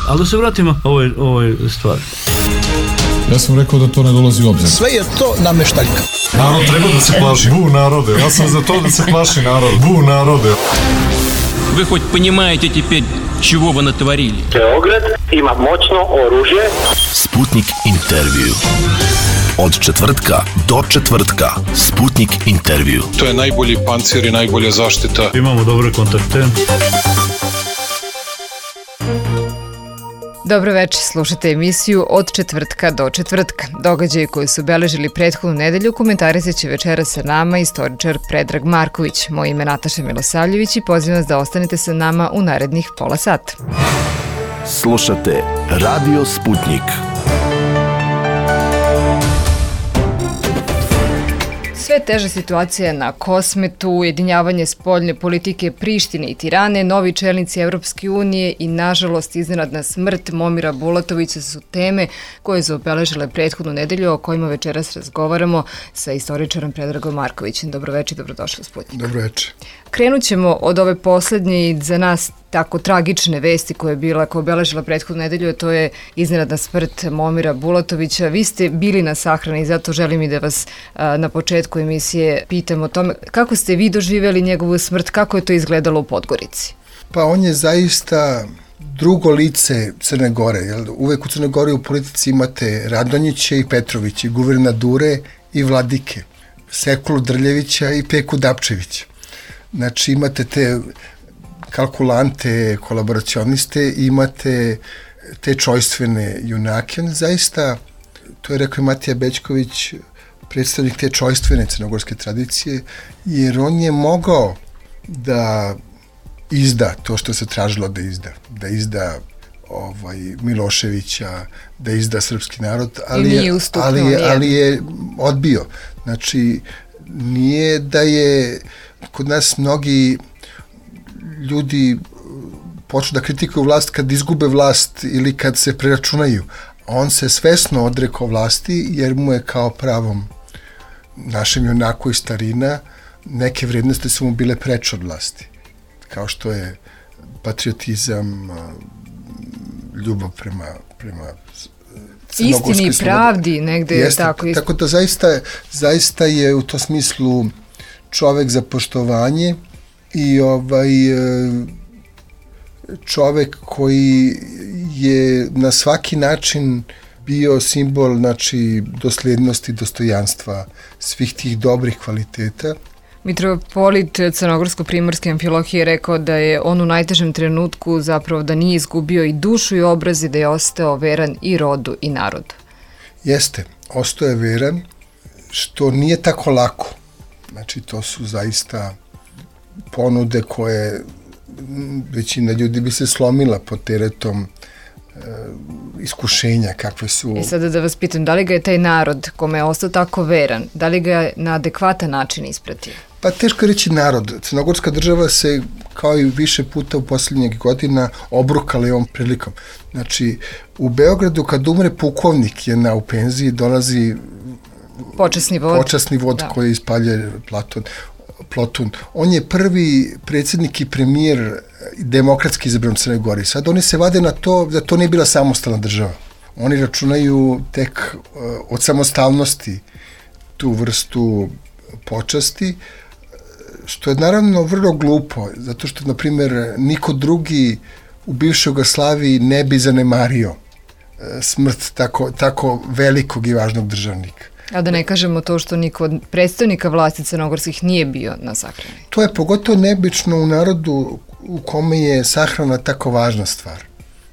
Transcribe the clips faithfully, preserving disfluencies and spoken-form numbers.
Ali da se vratimo ovoj, ovoj stvari. Ja sam rekao da to ne dolazi u obzir. Sve je to nameštaljka. Narod treba da se plaši. Bu narode. Ja sam za to da se plaši narod. Bu narode. Вы хоть понимаете теперь, чего вы натворили? Beograd ima moćno oružje. Sputnik intervju. Od četvrtka do četvrtka. Sputnik intervju. To je najbolji pancir i najbolja zaštita. Imamo dobre kontakte. Dobro večer, slušate emisiju Od četvrtka do četvrtka. Događaji koji su obeležili prethodnu nedelju komentarisat će večera sa nama istoričar Predrag Marković. Moje ime je Nataša Milosavljević i pozivam vas da ostanete sa nama u narednih pola sata. Slušate Radio Sputnik. Sve teža situacija na Kosmetu, ujedinjavanje spoljne politike Prištine i Tirane, novi čelnici Evropske unije i, nažalost, iznenadna smrt Momira Bulatovića su teme koje su obeležile prethodnu nedelju, o kojima večeras razgovaramo sa istoričarom Predragom Markovićem. Dobro večer, dobrodošli u Sputnik. Dobro večer. Krenut ćemo od ove poslednje i za nas tako tragične vesti koja je bila, koja je obeležila prethodnu nedelju, a to je iznenadna smrt Momira Bulatovića. Vi ste bili na sahrani i zato želim i da vas a, na početku emisije pitam o tome kako ste vi doživjeli njegovu smrt, kako je to izgledalo u Podgorici? Pa on je zaista drugo lice Crne Gore. Jel? Uvek u Crnoj Gori u politici imate Radonjiće i Petrovića, guvernadure i vladike, Sekulu Drljevića i Peku Dapčevića. Znači imate te kalkulante, kolaboracioniste, imate te čojstvene junake. On zaista, to je rekao i Matija Bećković, predstavnik te čojstvene crnogorske tradicije, jer on je mogao da izda to što se tražilo da izda. Da izda ovaj, Miloševića, da izda srpski narod, ali je, ali je, ali je odbio. Znači, nije da je kod nas mnogi ljudi počnu da kritikuju vlast kad izgube vlast ili kad se preračunaju. On se svesno odrekao vlasti jer mu je kao pravom našem junaku i starina neke vrednosti su mu bile preče od vlasti. Kao što je patriotizam, ljubav prema, prema istini i pravdi negde. Jeste, tako, tako da zaista, zaista je u tom smislu čovek za poštovanje i ovaj čovek koji je na svaki način bio simbol, znači, doslednosti, dostojanstva, svih tih dobrih kvaliteta. Mitropolit Crnogorsko-primorske amfilohije je rekao da je on u najtežem trenutku zapravo da nije izgubio i dušu i obraz i da je ostao veran i rodu i narodu. Jeste, ostao je veran, što nije tako lako. Znači, to su zaista ponude koje većina ljudi bi se slomila pod teretom e, iskušenja kakve su. I sada da vas pitam, da li ga je taj narod kome je ostao tako veran, da li ga je na adekvatan način ispratio? Pa teško je reći narod. Crnogorska država se kao i više puta u posljednjeg godina obrukala i ovom prilikom. Znači, u Beogradu kad umre pukovnik je na u penziji, dolazi počasni vod, počasni vod da. Koji ispaljuje Platon. Plotun. On je prvi predsjednik i premijer demokratski izabran u Crnoj Gori. Sad oni se vade na to da to nije bila samostalna država. Oni računaju tek uh, od samostalnosti tu vrstu počasti, što je naravno vrlo glupo, zato što, na primjer, niko drugi u bivšoj Jugoslaviji ne bi zanemario uh, smrt tako, tako velikog i važnog državnika. A da ne kažemo to što niko od predstavnika vlasti crnogorskih nije bio na sahrani. To je pogotovo neobično u narodu u kome je sahrana tako važna stvar.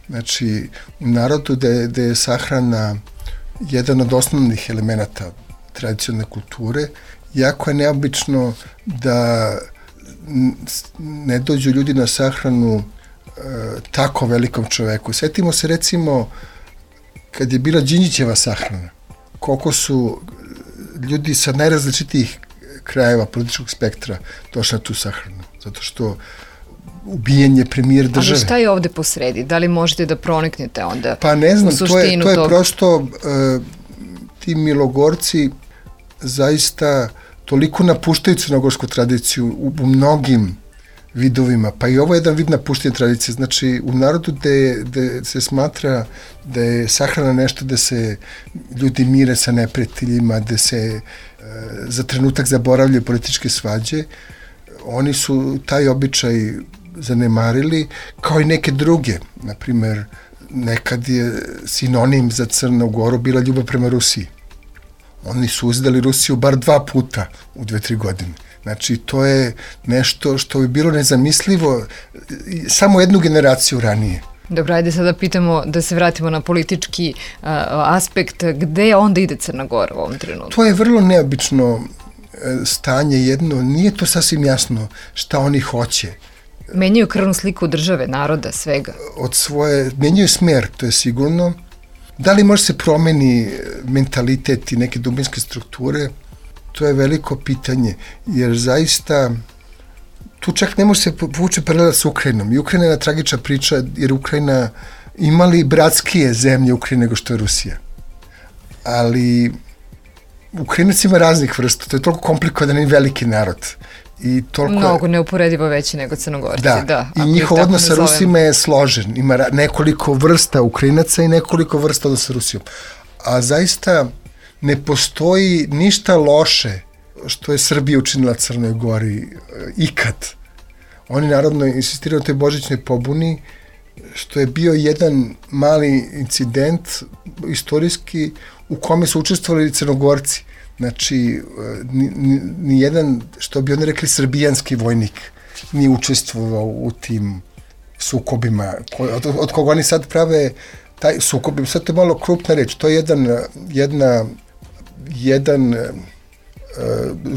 Znači, u narodu gde, gde je sahrana jedan od osnovnih elemenata tradicionalne kulture, jako je neobično da ne dođu ljudi na sahranu e, tako velikom čoveku. Sjetimo se, recimo, kad je bila Đinđićeva sahrana, koliko su ljudi sa najrazličitijih krajeva političkog spektra došli na tu sahranu. Zato što ubijen je premijer države. Ali šta je ovde posredi? Da li možete da proniknete onda pa ne znam, u suštinu to je, to je tog... prosto uh, ti Milogorci zaista toliko napuštaju crnogorsku tradiciju u, u mnogim vidovima, pa i ovo je jedan vid napuštene tradicije. Znači, u narodu gde, gde se smatra da je sahrana nešto da se ljudi mire sa neprijateljima, da se e, za trenutak zaboravljaju političke svađe, oni su taj običaj zanemarili, kao i neke druge. Naprimer, nekad je sinonim za Crnu Goru bila ljubav prema Rusiji. Oni su uzdali Rusiju bar dva puta u dve, tri godine. Znači, to je nešto što bi bilo nezamislivo samo jednu generaciju ranije. Dobro, ajde sada pitamo, da se vratimo na politički uh, aspekt, gde onda ide Crna Gora u ovom trenutku? To je vrlo neobično stanje jedno, nije to sasvim jasno šta oni hoće. Menjaju krvnu sliku države, naroda, svega. Od svoje, menjaju smer, to je sigurno. Da li može se promeni mentalitet i neke dubinske strukture, to je veliko pitanje, jer zaista tu čak ne može se povući paralela s Ukrajinom. I Ukrajina je tragična priča, jer Ukrajina imali bratskije zemlje Ukrajine nego što je Rusija. Ali Ukrajinac ima raznih vrsta, to je toliko komplikovan i veliki narod. I toliko mnogo neuporedivo veći nego Crnogorci. Da, da i njihov odnos sa Rusima je složen. Ima nekoliko vrsta Ukrajinaca i nekoliko vrsta odnosa sa Rusijom. A zaista ne postoji ništa loše što je Srbija učinila Crnoj Gori ikad. Oni naravno insistiraju na toj božićnoj pobuni, što je bio jedan mali incident istorijski u kome su učestvovali Crnogorci. Znači, ni jedan, što bi oni rekli, srbijanski vojnik nije učestvovao u tim sukobima, od, od koga oni sad prave taj sukob. Sad to je malo krupna reč, to je jedan, jedna, jedan uh,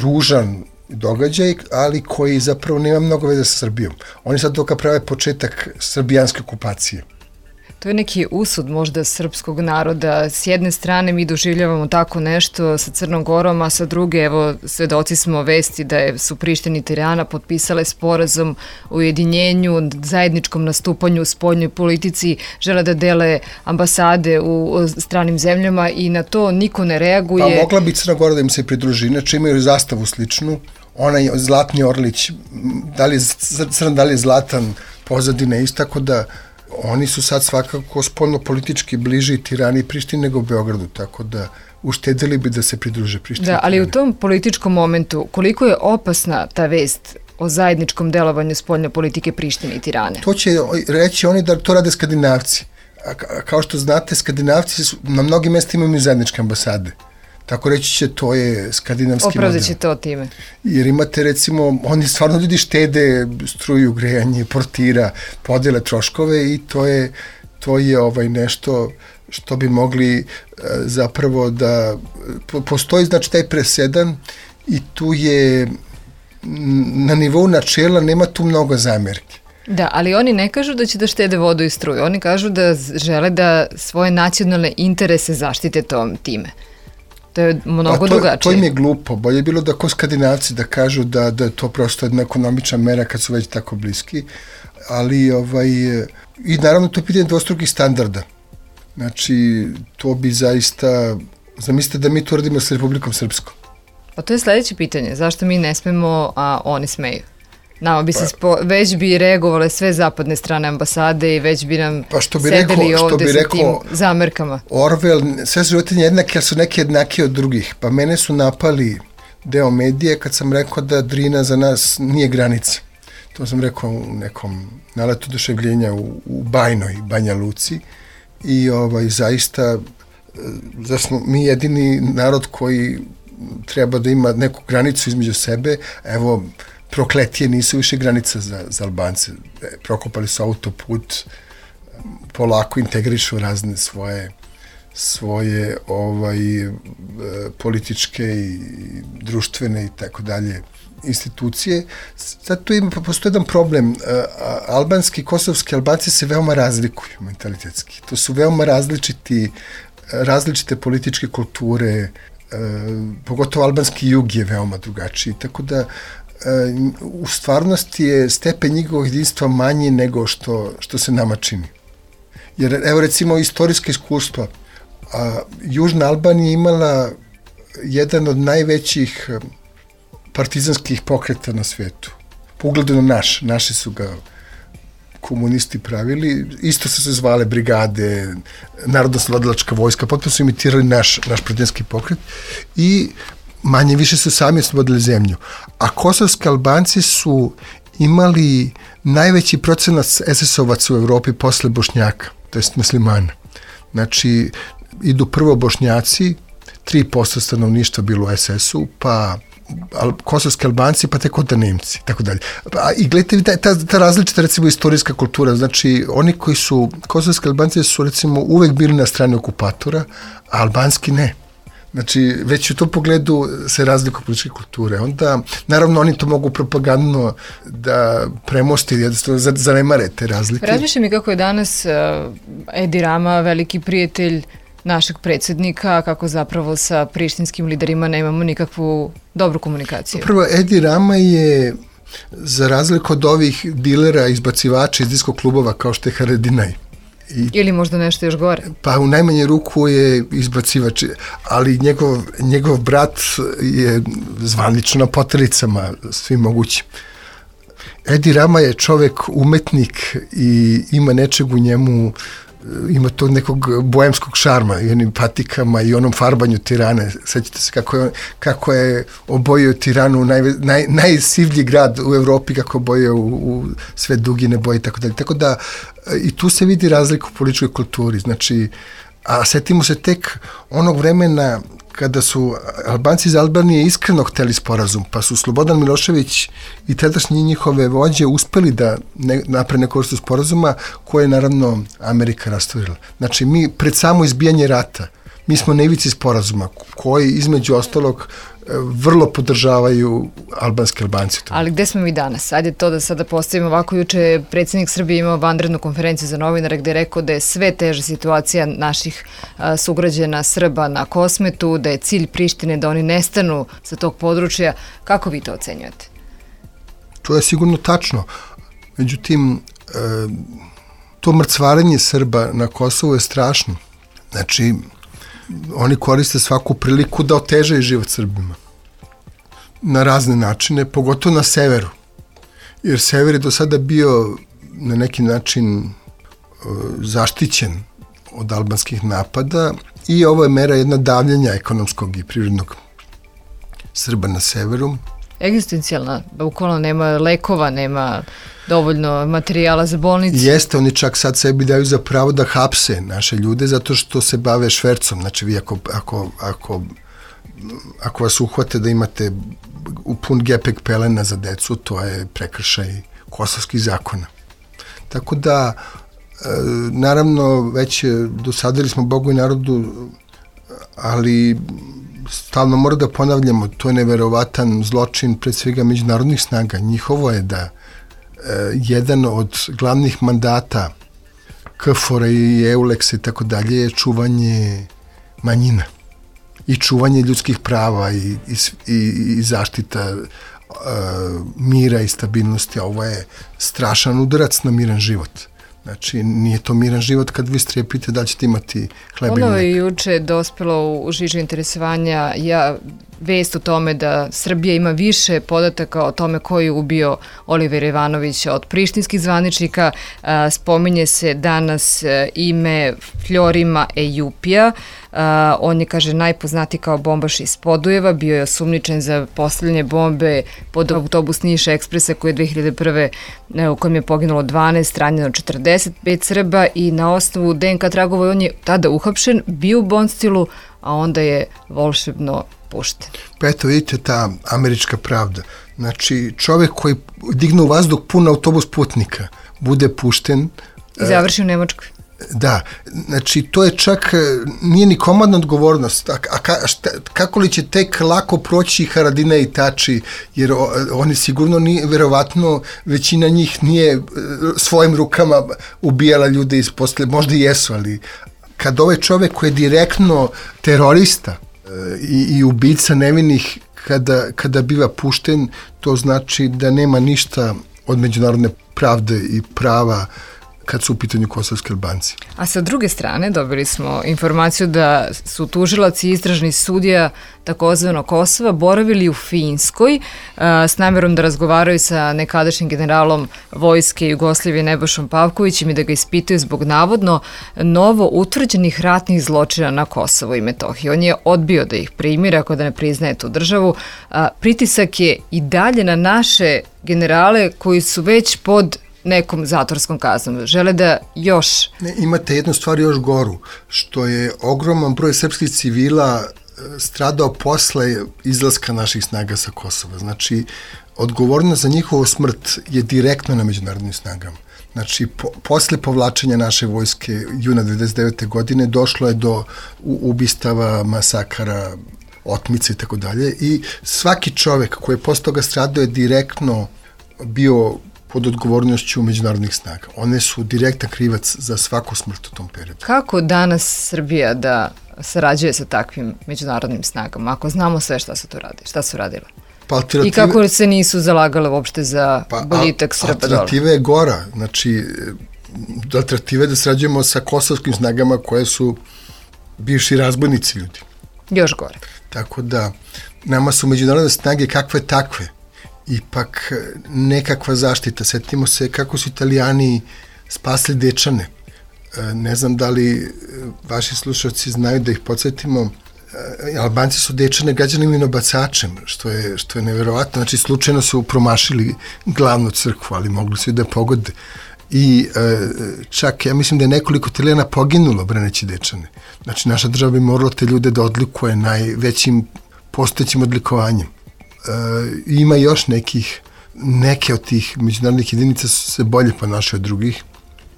ružan događaj, ali koji zapravo nema mnogo veze sa Srbijom. Oni sad toga prave početak srbijanske okupacije. To je neki usud možda srpskog naroda. S jedne strane mi doživljavamo tako nešto sa Crnom Gorom, a sa druge, evo, svedoci smo vesti da je, su Priština i Tirana potpisale sporazum o ujedinjenju, zajedničkom nastupanju u spoljnoj politici, žele da dele ambasade u stranim zemljama i na to niko ne reaguje. Pa mogla bi Crna Gora da im se pridruži, inače imaju zastavu sličnu, onaj Zlatni Orlić, da li je crn, da li je zlatan, pozadina isto, tako da oni su sad svakako spoljno politički bliži Tirani i Prištini nego Beogradu, tako da uštedili bi da se pridruže Prištini. Da, ali u tom političkom momentu koliko je opasna ta vest o zajedničkom delovanju spoljne politike Prištine i Tirane? To će reći oni da to rade Skandinavci. A kao što znate, Skandinavci su, na mnogim mestima imaju zajedničke ambasade. Tako reći će, to je skandinavski model. Opravdat će to time. Jer imate, recimo, oni stvarno ljudi štede struju, grejanje, portira, podele troškove i to je, to je ovaj nešto što bi mogli e, zapravo da... Po, postoji, znači, taj presedan i tu je na nivou načela nema tu mnogo zamerki. Da, ali oni ne kažu da će da štede vodu i struju. Oni kažu da žele da svoje nacionalne interese zaštite tom time. To je mnogo pa to, drugačije. To im je glupo. Bolje je bilo da ko Skandinavci da kažu da, da je to prosto jedna ekonomična mera kad su već tako bliski. Ali, ovaj, i naravno to je pitanje dvostrukih standarda. Znači, to bi zaista, zamislite da mi to radimo s Republikom Srpskom. Pa to je sledeće pitanje. Zašto mi ne smemo, a oni smeju? Nama bi se spo, već bi reagovale sve zapadne strane ambasade i već bi nam pa što bi sedeli rekao, što ovde bi sa rekao, tim zamerkama. Orwell, sve su životinje jednake, jer su neke jednake od drugih. Pa mene su napali deo medije kad sam rekao da Drina za nas nije granica. To sam rekao u nekom naletu oduševljenja u, u Bajnoj, Banja Luci. I ovaj, zaista, da smo mi jedini narod koji treba da ima neku granicu između sebe. Evo, Prokletije nisu više granica za, za Albance. Prokopali su autoput, polako integrišu razne svoje svoje ovaj političke i društvene i tako dalje institucije. Sad tu ima, postoji jedan problem. Albanski i kosovski Albanci se veoma razlikuju mentalitetski. To su veoma različiti, različite političke kulture, pogotovo albanski jug je veoma drugačiji. Tako da u stvarnosti je stepen njihovog jedinstva manji nego što, što se nama čini. Jer, evo recimo, istorijske iskustva. A, Južna Albanija imala jedan od najvećih partizanskih pokreta na svetu. po ugledu na naš, naši su ga komunisti pravili, isto su se zvale brigade, narodno-slobodilačka vojska, potpuno su imitirali naš, naš protivnički pokret i manje više su sami oslobodili zemlju. A kosovski Albanci su imali najveći procenat es es ovaca u Evropi posle Bošnjaka, to jest muslimana. Znači, idu prvo Bošnjaci, tri posto stanovništva bilo u es es u, pa al, kosovski Albanci, pa tek onda Nemci, tako dalje. A, I gledajte, ta, ta različita, recimo, istorijska kultura, znači, oni koji su, kosovski Albanci su, recimo, uvek bili na strani okupatora, a albanski ne. Znači, već u tom pogledu se razlikuju političke kulture. Onda, naravno, oni to mogu propagandno da premosti, jednostavno zanemare te razlike. Razmišljam mi kako je danas uh, Edi Rama veliki prijatelj našeg predsjednika, kako zapravo sa prištinskim liderima nemamo nikakvu dobru komunikaciju. Prvo, Edi Rama je, za razliku od ovih dilera, izbacivača iz disko klubova, kao što je Haradinaj, I, ili možda nešto još gore. Pa u najmanje ruku je izbacivač, ali njegov, njegov brat je zvanično na potelicama svim mogućim. Edi Rama je čovek umetnik i ima nečeg u njemu, ima to nekog boemskog šarma i onim patikama i onom farbanju Tirane. Sećate se kako je, kako je obojio Tiranu, naj, naj, najsivlji grad u Evropi, kako obojio u, u sve dugine boje i tako dalje. Tako da i tu se vidi razlika u političkoj kulturi. Znači, a setimo se tek onog vremena kada su Albanci iz Albanije iskreno hteli sporazum, pa su Slobodan Milošević i tadašnji njihove vođe uspeli da ne, napre neku vrstu sporazuma koje je naravno Amerika rasturila. Znači, mi pred samo izbijanje rata, mi smo na ivici sporazuma koji između ostalog vrlo podržavaju albanski Albanci. Ali gde smo mi danas? Ajde to da sada postavimo ovako. Juče je predsjednik Srbije imao vanrednu konferenciju za novinare gde je rekao da je sve teža situacija naših a, sugrađana Srba na Kosmetu, da je cilj Prištine da oni nestanu sa tog područja. Kako vi to ocenjujete? To je sigurno tačno. Međutim, e, to mrcvarenje Srba na Kosovu je strašno. Znači, oni koriste svaku priliku da otežaju život Srbima. Na razne načine, pogotovo na severu. Jer sever je do sada bio na neki način e, zaštićen od albanskih napada i ovo je mera jedna davljenja ekonomskog i prirodnog Srba na severu. Egzistencijalna, bukvalno nema lekova, nema dovoljno materijala za bolnice. Jeste, oni čak sad sebi daju za pravo da hapse naše ljude zato što se bave švercom. Znači, vi ako, ako, ako, ako vas uhvate da imate pun gepek pelena za decu, to je prekršaj kosovskih zakona. Tako da, e, naravno, već dosadili smo Bogu i narodu, ali stalno mora da ponavljamo, to je neverovatan zločin pred svega međunarodnih snaga. Njihovo je da jedan od glavnih mandata K F O R-a i EULEX-a i tako dalje je čuvanje manjina i čuvanje ljudskih prava i, i, i zaštita uh, mira i stabilnosti. Ovo je strašan udarac na miran život. Znači, nije to miran život kad vi strepite da ćete imati hleba i mleka. Ono je juče dospelo u žižu interesovanja ja, vest o tome da Srbija ima više podataka o tome ko je ubio Olivera Ivanovića od prištinskih zvaničnika. Spominje se danas ime Florima Ejupija. On je, kaže, najpoznatiji kao bombaš iz Podujeva, bio je osumnjičen za postavljanje bombe pod autobus Niš Ekspresa koji je dve hiljade prve. u kojem je poginulo dvanaest, ranjeno četrdeset pet Srba i na osnovu D N K tragova on je tada uhapšen, bio u Bonstilu, a onda je volšebno pušten. Pa eto, vidite ta američka pravda. Znači, čovjek koji digne u vazduh pun autobus putnika, bude pušten. I završi u Nemačkoj. Da, znači to je čak, nije ni komandna odgovornost, a, a ka, šta, kako li će tek lako proći Haradinaj i Tači, jer o, oni sigurno nije, verovatno većina njih nije svojim rukama ubijala ljude iz posle, možda i jesu, ali kad ovaj čovjek koji je direktno terorista i, i ubica nevinih, kada, kada biva pušten, to znači da nema ništa od međunarodne pravde i prava kad su u pitanju kosovski Albanci. A sa druge strane dobili smo informaciju da su tužilac i istražni sudija takozvano Kosova boravili u Finskoj a, s namjerom da razgovaraju sa nekadašnjim generalom vojske Jugoslavije Nebojšom Pavkovićem i da ga ispitaju zbog navodno novo utvrđenih ratnih zločina na Kosovo i Metohiji. On je odbio da ih primiri ako da ne priznaje tu državu. A, pritisak je i dalje na naše generale koji su već pod nekom zatvorskom kaznom. Žele da još... Ne, imate jednu stvar još goru, što je ogroman broj srpskih civila stradao posle izlaska naših snaga sa Kosova. Znači, odgovornost za njihovu smrt je direktno na međunarodnim snagama. Znači, po, posle povlačenja naše vojske juna devedeset devete godine došlo je do ubistava, masakara, otmice i tako dalje i svaki čovek koji je posle toga stradao je direktno bio pod odgovornošću međunarodnih snaga. One su direktan krivac za svaku smrt u tom periodu. Kako danas Srbija da sarađuje sa takvim međunarodnim snagama, ako znamo sve šta su to radili, šta su radile? Pa alternative, I kako se nisu zalagale uopšte za pa, boljitak Srba dole? Alternativa je gora. Znači, alternativa je da sarađujemo sa kosovskim snagama koje su bivši razbojnici ljudi. Još gore. Tako da, nama su međunarodne snage kakve takve. Ipak nekakva zaštita. Sjetimo se kako su Italijani spasli Dečane. Ne znam da li vaši slušalci znaju da ih podsjetimo. Albanci su Dečane gađali minobacačem, što je, što je neverovatno. Znači, slučajno su promašili glavnu crkvu, ali mogli su i da pogode. I čak, ja mislim da je nekoliko Italijana poginulo braneći Dečane. Znači, naša država bi morala te ljude da odlikuje najvećim postojećim odlikovanjem. Uh, ima još nekih, neke od tih međunarodnih jedinica su se bolje ponašaju od drugih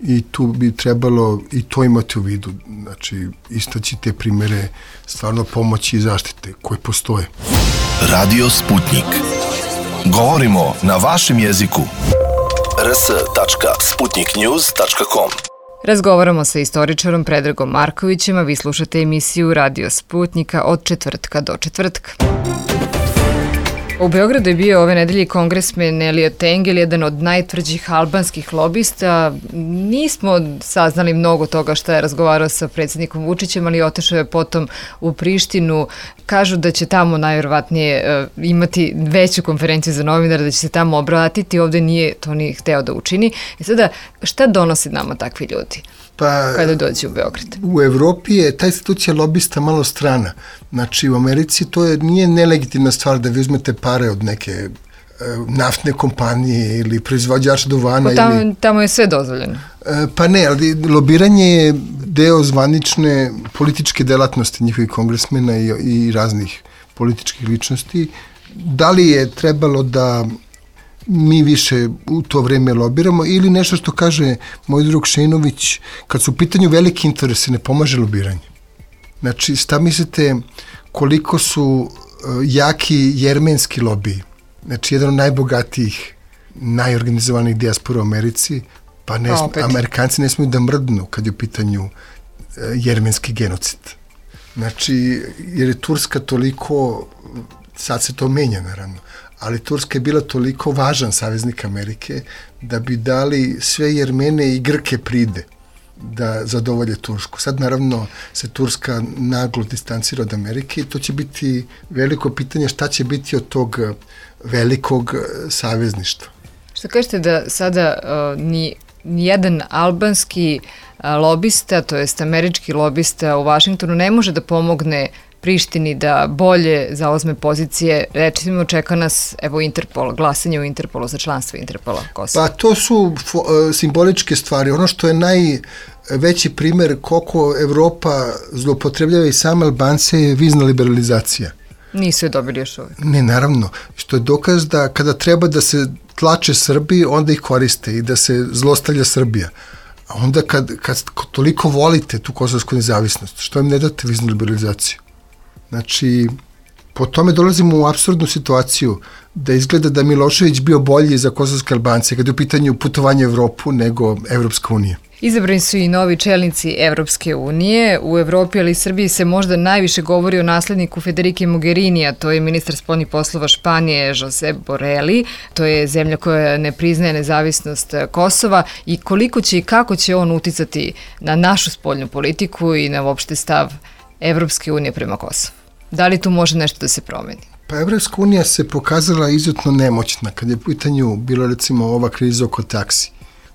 i tu bi trebalo i to imati u vidu, znači istaći te primere stvarno pomoći i zaštite koje postoje. Radio Sputnik. Govorimo na vašem jeziku. r s tačka sputnik news tačka com. Razgovaramo sa istoričarom Predragom Markovićem, a vi slušate emisiju Radio Sputnika od četvrtka do četvrtka. U Beogradu je bio ove nedelje kongresmen Eliot Engel, jedan od najtvrđih albanskih lobista. Nismo saznali mnogo toga šta je razgovarao sa predsjednikom Vučićem, ali otišao je potom u Prištinu. Kažu da će tamo najvjerovatnije uh, imati veću konferenciju za novinare, da će se tamo obratiti. Ovde nije to ni hteo da učini. I sada, šta donosi nama takvi ljudi? Pa, kada dođe u Beograd? U Evropi je ta institucija lobista malo strana. Znači, u Americi to je, nije nelegitimna stvar da vi uzmete pare od neke e, naftne kompanije ili proizvođača duvana. Pa tamo, ili, tamo je sve dozvoljeno. E, pa ne, ali lobiranje je deo zvanične političke delatnosti njihovih kongresmena i, i raznih političkih ličnosti. Da li je trebalo da mi više u to vreme lobiramo ili nešto što kaže moj drug Šenović, kad su u pitanju veliki interesi ne pomaže lobiranje. Znači, šta mislite koliko su uh, jaki jermenski lobiji? Znači, jedan od najbogatijih, najorganizovanih dijaspora u Americi, pa ne, pa Amerikanci ne smiju da mrdnu kad je u pitanju uh, jermenski genocid. Znači, jer je Turska toliko, sad se to menja naravno, ali Turska je bila toliko važan saveznik Amerike da bi dali sve Jermene i Grke pride da zadovolje Tursku. Sad naravno se Turska naglo distancira od Amerike i to će biti veliko pitanje šta će biti od tog velikog savezništva. Što kažete da sada uh, ni, nijedan albanski uh, lobista, to jest američki lobista u Vašingtonu ne može da pomogne Prištini da bolje zauzme pozicije, recimo čeka nas evo Interpol, glasanje u Interpolu za članstvo Interpola Kosova. Pa to su fo, simboličke stvari. Ono što je najveći primer koliko Evropa zloupotrebljava i same Albance je vizna liberalizacija. Nisu je dobili još uvijek. Ne, naravno. Što je dokaz da kada treba da se tlače Srbiji, onda ih koriste i da se zlostavlja Srbija. A onda kad, kad toliko volite tu kosovsku nezavisnost, što im ne date viznu liberalizaciju? Znači, po tome dolazimo u apsurdnu situaciju da izgleda da Milošević bio bolji za kosovske Albance kada je u pitanju putovanja u Evropu nego Evropska unija. Izabrani su i novi čelnici Evropske unije. U Evropi, ali i Srbiji se možda najviše govori o nasledniku Federike Mogherini, a to je ministar spoljnih poslova Španije Josep Borrell. To je zemlja koja ne priznaje nezavisnost Kosova i koliko će i kako će on uticati na našu spoljnu politiku i na uopšte stav Evropske unije prema Kosovu. Da li tu može nešto da se promeni? Pa Evropska unija se pokazala izuzetno nemoćna kad je u pitanju bilo recimo ova kriza oko taksi.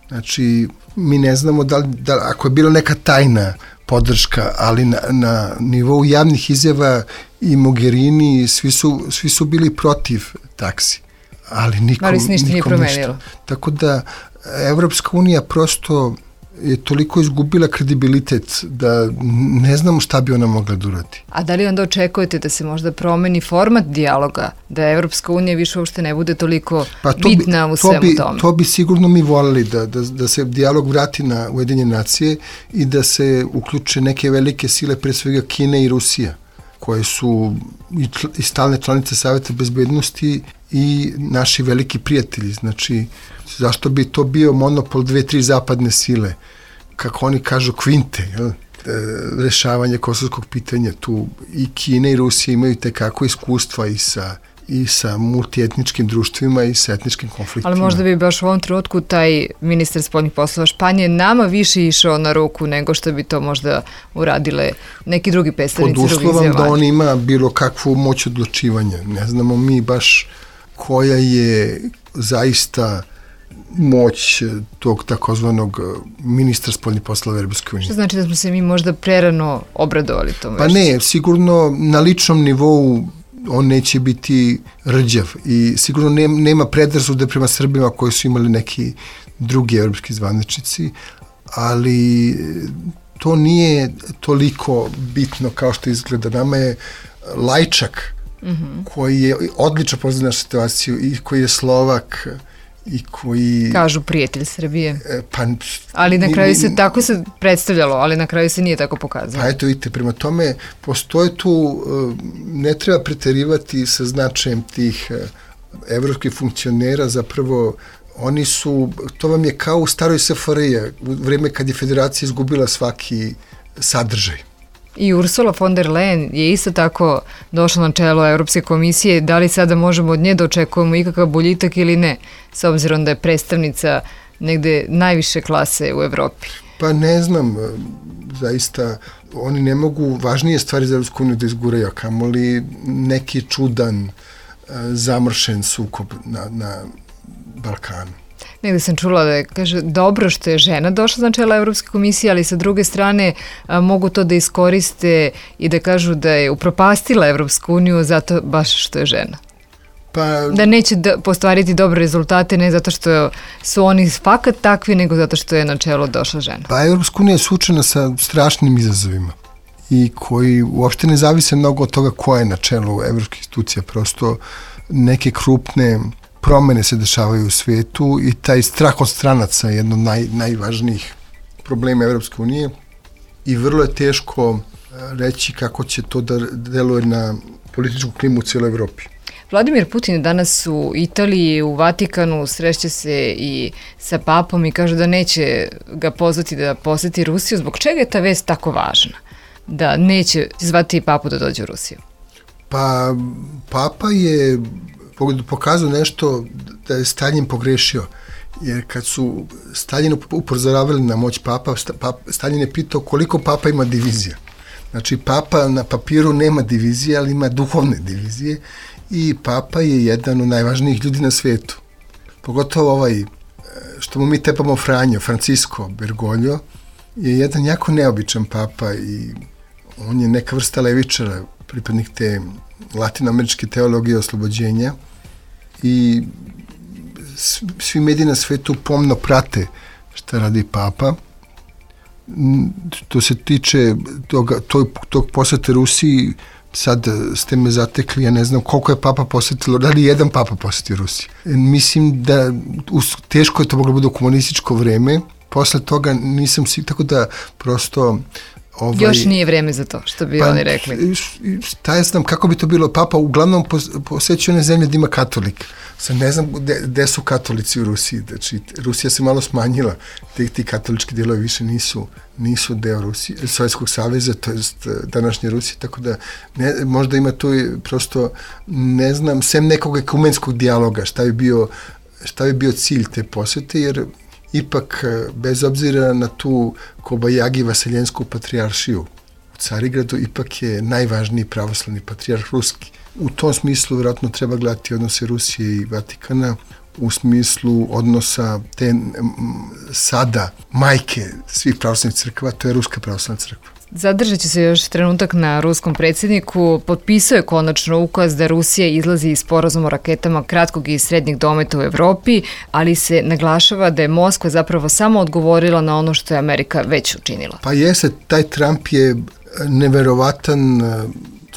Znači, mi ne znamo da, da ako je bila neka tajna podrška, ali na, na nivou javnih izjava i Mogherini svi su, svi su bili protiv taksi. Ali nikom, ali ništa nije nikom promenilo. Ništa. Tako da Evropska unija prosto je toliko izgubila kredibilitet da ne znamo šta bi ona mogla da uradi. A da li onda očekujete da se možda promeni format dijaloga, da Evropska unija više uopšte ne bude toliko pa to bitna bi, u svemu to bi, tome? To bi sigurno mi voljeli da, da, da se dijalog vrati na Ujedinjene nacije i da se uključe neke velike sile, pre svega Kina i Rusija, koje su i, čl, i stalne članice Saveta bezbednosti i naši veliki prijatelji. Znači, zašto bi to bio monopol dve, tri zapadne sile, kako oni kažu kvinte, jel? E, rešavanje kosovskog pitanja. Tu i Kina i Rusija imaju tekako iskustva i sa, i sa multietničkim društvima i sa etničkim konfliktima. Ali možda bi baš u ovom trenutku taj ministar spoljnih poslova Španije nama više išao na ruku nego što bi to možda uradile neki drugi predstavnici drugih zemalja. Pod uslovom da on ima bilo kakvu moć odlučivanja. Ne znamo mi baš koja je zaista moć tog takozvanog ministra spoljnih poslova Evropske unije. Što znači da smo se mi možda prerano obradovali tom Pa vešću? ne, sigurno na ličnom nivou on neće biti rđav i sigurno nema predrasude prema Srbima koji su imali neki drugi evropski zvaničnici, ali to nije toliko bitno kao što izgleda. Nama je Lajčak, mm-hmm. koji je odlično poznat na situaciju i koji je Slovak i koji... Kažu prijatelj Srbije. Pa, ali na ni, kraju ni, se, tako se predstavljalo, ali na kraju se nije tako pokazalo. Pa eto vidite, prema tome postoje tu, ne treba preterivati sa značajem tih evropskih funkcionera, zapravo oni su, to vam je kao u staroj S F R J, u vreme kad je federacija izgubila svaki sadržaj. I Ursula von der Leyen je isto tako došla na čelo Evropske komisije. Da li sada možemo od nje da očekujemo ikakav boljitak ili ne, s obzirom da je predstavnica negde najviše klase u Evropi? Pa ne znam, zaista oni ne mogu važnije stvari za Evropsku uniju da izguraju, a kamoli neki čudan, zamršen sukob na, na Balkanu. Negde sam čula da je, kaže, dobro što je žena došla na čelo Evropske komisije, ali sa druge strane a, mogu to da iskoriste i da kažu da je upropastila Evropsku uniju zato baš što je žena. Pa, da neće da postvariti dobre rezultate ne zato što su oni fakat takvi, nego zato što je na čelo došla žena. Pa Evropska unija je suočena sa strašnim izazovima i koji uopšte ne zavise mnogo od toga ko je na čelu evropskih institucija. Prosto neke krupne promene se dešavaju u svetu i taj strah od stranaca je jedno od naj, najvažnijih problema Evropske unije i vrlo je teško reći kako će to da deluje na političku klimu u cijeloj Evropi. Vladimir Putin je danas u Italiji, u Vatikanu, sreće se i sa papom i kaže da neće ga pozvati da poseti Rusiju. Zbog čega je ta vest tako važna? Da neće zvati papu da dođe u Rusiju? Pa papa je pokazao nešto da je Stalin pogrešio. Jer kad su Stalin upozoravali na moć papa, Stalin je pitao koliko papa ima divizija. Znači papa na papiru nema divizije, ali ima duhovne divizije i papa je jedan od najvažnijih ljudi na svetu. Pogotovo ovaj, što mu mi tepamo Franjo, Francisco Bergoglio, je jedan jako neobičan papa i on je neka vrsta levičara, pripadnik te latinoameričke teologije oslobođenja i svi mediji na svetu pomno prate šta radi papa. To se tiče toga, tog, tog posete Rusiji, sad ste me zatekli, ja ne znam koliko je papa posetilo, da li jedan papa poseti Rusiju. Mislim da teško je to moglo biti u komunističko vreme, posle toga nisam svi, tako da prosto Ovaj, Još nije vreme za to, što bi pa, oni rekli. Šta ja znam, kako bi to bilo? Papa uglavnom posećuje one zemlje gde ima katolik. Sad ne znam gde su katolici u Rusiji. Znači, Rusija se malo smanjila. Ti, ti katolički delovi više nisu, nisu deo Rusije, Sovjetskog saveza, to jest današnje Rusije, tako da ne, možda ima tu prosto, ne znam, sem nekog ekumenskog dijaloga, šta bi bio, šta bi bio cilj te posete, jer ipak, bez obzira na tu Kobajagi Vaseljensku patrijaršiju u Carigradu, ipak je najvažniji pravoslavni patrijarh ruski. U tom smislu vjerojatno treba gledati odnose Rusije i Vatikana u smislu odnosa te m, sada majke svih pravoslavnih crkva, to je Ruska pravoslavna crkva. Zadržat će se još trenutak na ruskom predsjedniku. Potpisao je konačno ukaz da Rusija izlazi iz sporazuma o raketama kratkog i srednjeg dometa u Evropi, ali se naglašava da je Moskva zapravo samo odgovorila na ono što je Amerika već učinila. Pa jeste, taj Trump je neverovatan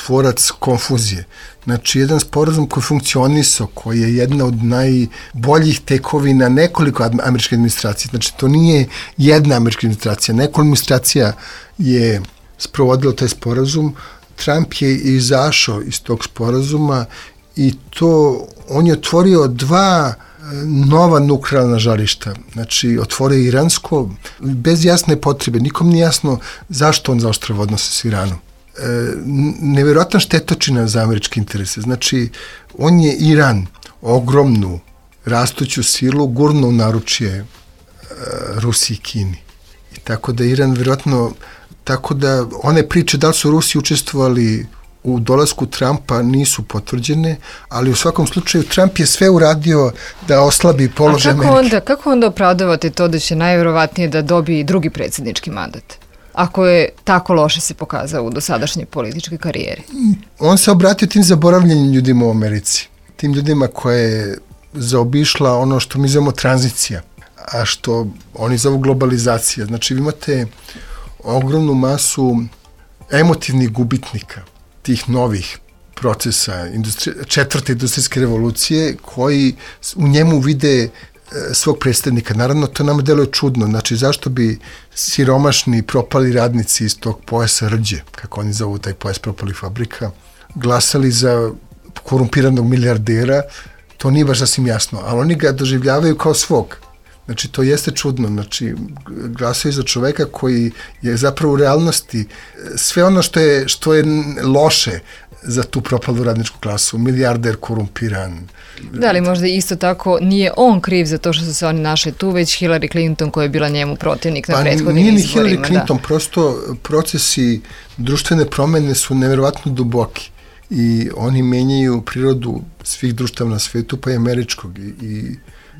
tvorac konfuzije. Znači, jedan sporazum koji funkcionisao, koji je jedna od najboljih tekovina nekoliko američke administracije. Znači, to nije jedna američka administracija. Nekoliko administracija je sprovodilo taj sporazum. Trump je izašao iz tog sporazuma i to, on je otvorio dva nova nuklearna žarišta. Znači, otvorio iransko, bez jasne potrebe. Nikom nije jasno zašto on zaoštrava odnose s Iranom. E, nevjerojatna štetočina za američke interese. Znači, on je Iran, ogromnu, rastuću silu, gurno u naručje e, Rusiji i Kini. I tako da Iran vjerojatno, tako da one priče da li su Rusi učestvovali u dolasku Trumpa nisu potvrđene, ali u svakom slučaju Trump je sve uradio da oslabi položaj Amerike. A kako onda, kako onda opravdavate to da će najvjerovatnije da dobije drugi predsjednički mandat? Ako je tako loše se pokazao u dosadašnjoj političkoj karijeri? On se obratio tim zaboravljenim ljudima u Americi. Tim ljudima koje je zaobišla ono što mi zovemo tranzicija, a što oni zovu globalizacija. Znači, vi imate ogromnu masu emotivnih gubitnika tih novih procesa industri... četvrte industrijske revolucije koji u njemu vide svog predstavnika. Naravno, to nama deluje čudno. Znači, zašto bi siromašni propali radnici iz tog pojasa rđe, kako oni zovu taj pojas propalih fabrika, glasali za korumpiranog milijardera, to nije baš sasvim jasno, ali oni ga doživljavaju kao svog. Znači, to jeste čudno. Znači, glasaju za čoveka koji je zapravo u realnosti sve ono što je, što je loše za tu propalu radničku klasu, milijarder korumpiran. Da li možda isto tako nije on kriv za to što su se oni našli tu, već Hillary Clinton koja je bila njemu protivnik na pa prethodnim nije izborima? Nije ni Hillary Clinton, da. Prosto procesi društvene promene su nevjerovatno duboki i oni menjaju prirodu svih društava na svetu, pa i američkog. I, i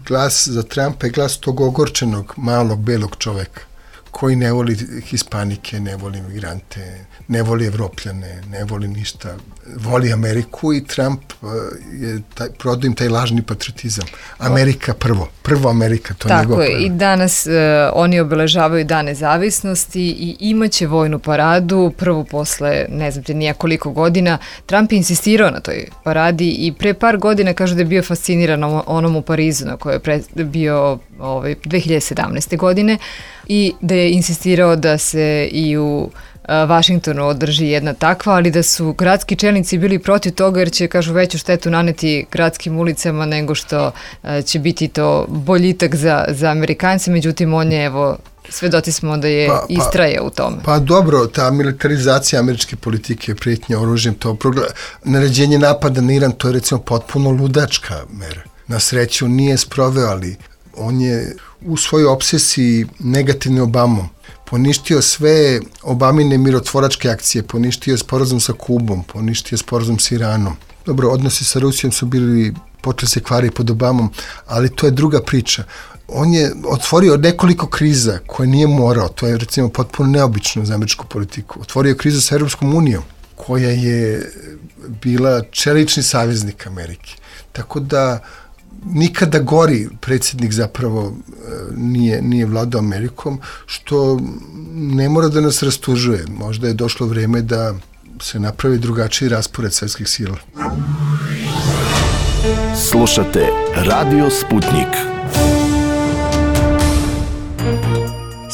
glas za Trumpa je glas tog ogorčenog, malog, belog čoveka koji ne voli Hispanike, ne voli migrante, ne voli Evropljane, ne voli ništa. Voli Ameriku i Trump je taj, prodao im taj lažni patriotizam. Amerika prvo. Prvo Amerika, to je njegov prvo. Tako je, i danas uh, oni obeležavaju Dan nezavisnosti i imaće vojnu paradu, prvo posle, ne znam te nija koliko godina. Trump je insistirao na toj paradi i pre par godina kažu da je bio fasciniran onom u Parizu na kojoj je pre, bio ovaj, dve hiljade sedamnaeste. godine i da je insistirao da se i u Vašingtonu održi jedna takva, ali da su gradski čelnici bili protiv toga jer će, kažu, veću štetu naneti gradskim ulicama nego što će biti to boljitak za, za Amerikance, međutim on je, evo, svedoci smo da je pa, istraje u tome. Pa dobro, ta militarizacija američke politike, prijetnja oružjem, to progla... naređenje napada na Iran, to je recimo potpuno ludačka mera. Na sreću nije sproveo, ali on je u svojoj obsesiji negativne Obamom poništio sve Obamine mirotvoračke akcije, poništio sporazum sa Kubom, poništio sporazum sa Iranom. Dobro, odnosi sa Rusijom su bili, počeli se kvari pod Obamom, ali to je druga priča. On je otvorio nekoliko kriza koje nije morao, to je recimo potpuno neobično za američku politiku. Otvorio je krizu sa Europskom unijom, koja je bila čelični saveznik Amerike. Tako da nikada gori predsjednik zapravo nije, nije vladao Amerikom, što ne mora da nas rastužuje. Možda je došlo vreme da se napravi drugačiji raspored svjetskih sila. Slušate Radio Sputnik.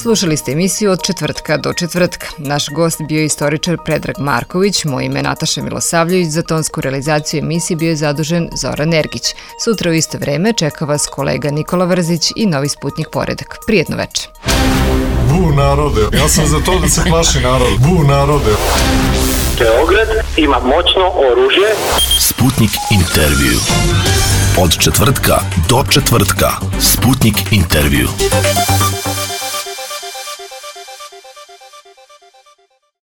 Slušali ste emisiju od četvrtka do četvrtka. Naš gost bio je istoričar Predrag Marković, moje ime je Nataša Milosavljević, za tonsku realizaciju emisije bio je zadužen Zoran Ergić. Sutra u isto vreme čeka vas kolega Nikola Vrzić i Novi Sputnik Poredak. Prijetno večer. Bu narode, ja sam za to da se plaši narod. Bu narode. Beograd ima moćno oružje. Sputnik intervju. Od četvrtka do četvrtka. Sputnik intervju.